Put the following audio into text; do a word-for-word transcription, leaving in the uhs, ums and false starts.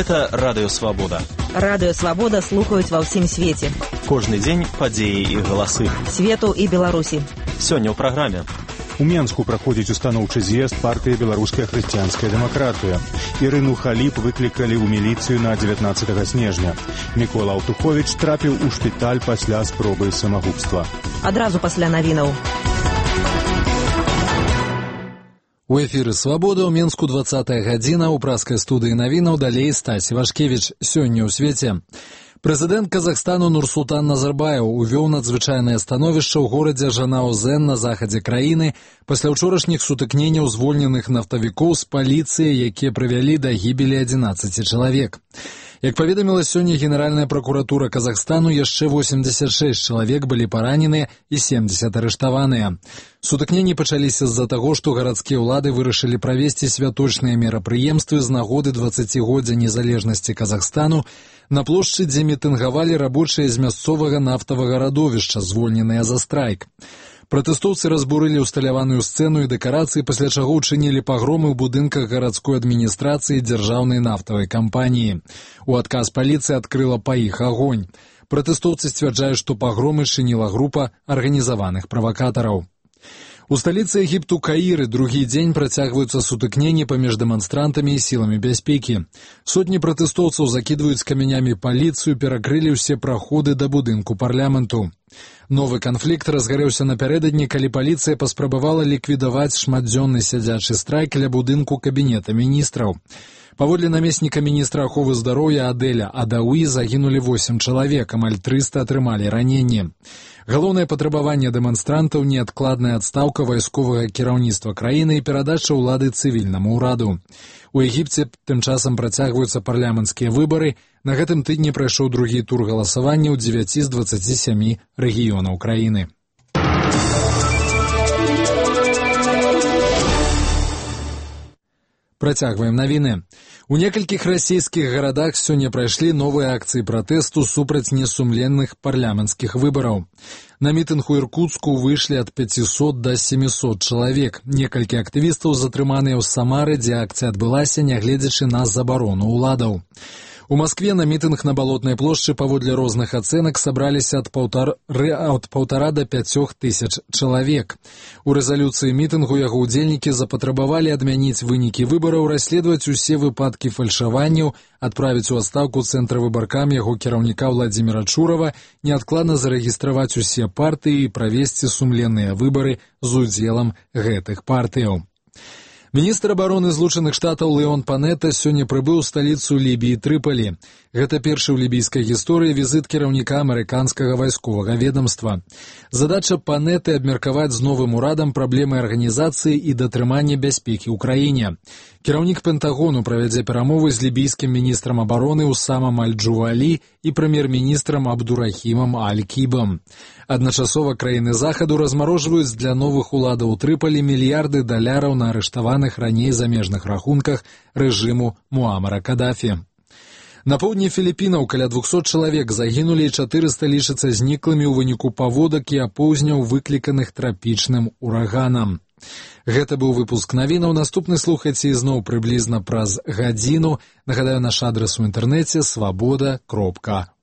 Гэта Радыё Свабода. Радыё Свабода слухаюць ва ўсім свеце. Кожны дзень падзеі і галасы Свету і Беларусі. Сёння ў праграме. У Менску праходзіць устаноўчы з'езд партыі «Беларуская хрысціянская дэмакратыя». Ірыну Халіп выклікалі ў міліцыю на дзевятнаццатага снежня. Мікола Аўтуховіч трапіў у шпіталь пасля спробы самагубства. Адразу пасля навінаў. У эфіры «Свабода» ў Менску двадцатая гадзіна, у праскай студыі навінаў далей Стась Івашкевіч. Сёння ў свеце. Прэзідэнт Казахстану Нурсултан Назарбаев увёў надзвычайнае становішча ў горадзе Жанаузен на захадзе краіны пасля ўчорашніх сутыкненняў звольненых нафтавікоў з паліцыяй, якія прывялі да гібелі адзінаццаці чалавек. Як паведаміла сёння Генеральная пракуратура Казахстану, яшчэ восемьдесят шесть чалавек былі параненыя і семьдесят арыштаваныя. Сутыкненні пачаліся з-за таго, што гарадскія ўлады вырашылі правесці святочныя мерапрыемствы з нагоды дваццацігоддзя незалежнасці Казахстану на плошчы, дзе мітынгавалі рабочыя з мясцовага нафтавага радовішча, звольненыя за страйк. Пратэстоўцы разбурылі ўсталяваную сцэну і дэкарацыі, пасля чаго ўчынілі пагромы ў будынках гарадской адміністрацыі дзяржаўнай нафтавай кампаніі. У адказ паліцыя адкрыла па іх агонь. Пратэстоўцы сцвярджаюць, што пагромы чыніла група арганізаваных правакатараў. У сталіцы Егіпту Каіры другі дзень працягваюцца сутыкненні паміж дэманстрантамі і сіламі бяспекі. Сотні пратэстоўцаў закідваюць камянямі паліцыю, перакрылі ўсе праходы да будынку парламенту. Новы канфлікт разгарэўся напярэдадні, калі паліцыя паспрабавала ліквідаваць шматдзённы сядзячы страйк ля будынку кабінета міністраў. Паводле намесніка міністра аховы здароўя Адэля Адауі загінулі восем чалавек, амаль трыста атрымалі раненні. Галоўнае патрабаванне дэманстрантаў — неадкладная адстаўка вайсковага кіраўніцтва краіны і перадача ўлады цывільнаму ўраду. У Егіпце тым часам працягваюцца парламенцкія выбары. На гэтым тыдні прайшоў другі тур галасавання ў дзевяці з дваццаці сямі рэгіёнаў краіны. Працягваем навіны. У некалькіх расійскіх гарадах сёння прайшлі новыя акцыі пратэсту супраць несумленных парламенцкіх выбараў. На мітынг у Іркуцку выйшлі ад пяцісот да семісот чалавек. Некалькі актывістаў затрыманыя ў Самары, дзе акцыя адбылася, нягледзячы на забарону ўладаў. У Маскве на мітынг на Балотнай плошчы паводле розных ацэнак сабраліся ад паўтара, ад паўтара да пяцёх тысяч чалавек. У рэзалюцыі мітынгу яго ўдзельнікі запатрабавалі адмяніць вынікі выбараў, расследаваць усе выпадкі фальшаванняў, адправіць у адстаўку цэнтра выбаркам яго кіраўніка Владзіміра Чурава, неадкладна зарэгістраваць усе партыі і правесці сумленныя выбары з удзелам гэтых партыяў. Міністр абароны Злучаных Штатаў Леон Панета сёння прыбыў у сталіцу Лібіі Трыполі. Гэта першы ў лібійскай гісторыі візіт кіраўніка амерыканскага вайсковага ведамства. Задача Панеты — абмеркаваць з новым урадам праблемы арганізацыі і датрымання бяспекі ў краіне. Кіраўнік Пентагону правядзе перамовы з лібійскім міністрам абароны Усамам Аль-Джувалі і прэм'ер-міністрам Абдурахімам Аль-Кібам. Адначасова краіны захаду размарожваюць для новых уладаў у Трыполі мільярды даляраў на арыштаваных раней замежных рахунках рэжыму Муамара Кадафі. На поўдні Філіпінаў каля двухсот чалавек загінулі і чатырыста лічацца зніклымі ў выніку паводак і апоўзняў, выкліканых трапічным ураганам. Гэта быў выпуск навінаў. Наступны слухайце ізноў прыблізна праз гадзіну. Нагадаю, наш адрас у інтэрнэце свабода кропка орг.